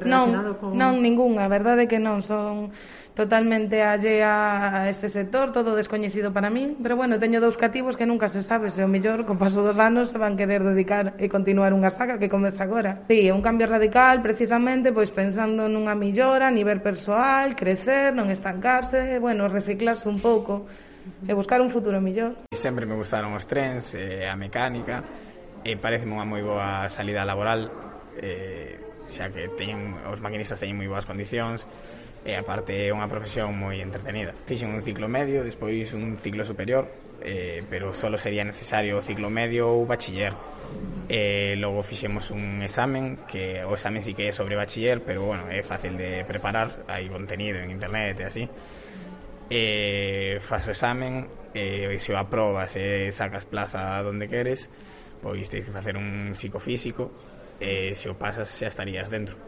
relacionado con... Non, ningunha, a verdade é que non, son totalmente allea a este sector, todo descoñecido para min, pero bueno, teño 2 cativos que nunca se sabe se o mellor, co paso dos anos, se van querer dedicar e continuar unha saga que comeza agora. Sí, é un cambio radical, precisamente, pois pensando nunha millora a nivel persoal, crecer, non estancarse, bueno, reciclarse un pouco e buscar un futuro mellor. Sempre me gustaron os trens, a mecánica, e pareceme unha moi boa salida laboral, xa que os maquinistas teñen moi boas condicións e aparte é unha profesión moi entretenida. Fixen un ciclo medio, despois un ciclo superior, pero só sería necesario o ciclo medio ou bachiller. Logo fixemos un examen, que o examen sí que é sobre bachiller, pero bueno, é fácil de preparar, hai contenido en internet e así. Faz o examen e se o aprobas e sacas plaza donde queres, pois tens que facer un psicofísico e se o pasas xa estarías dentro.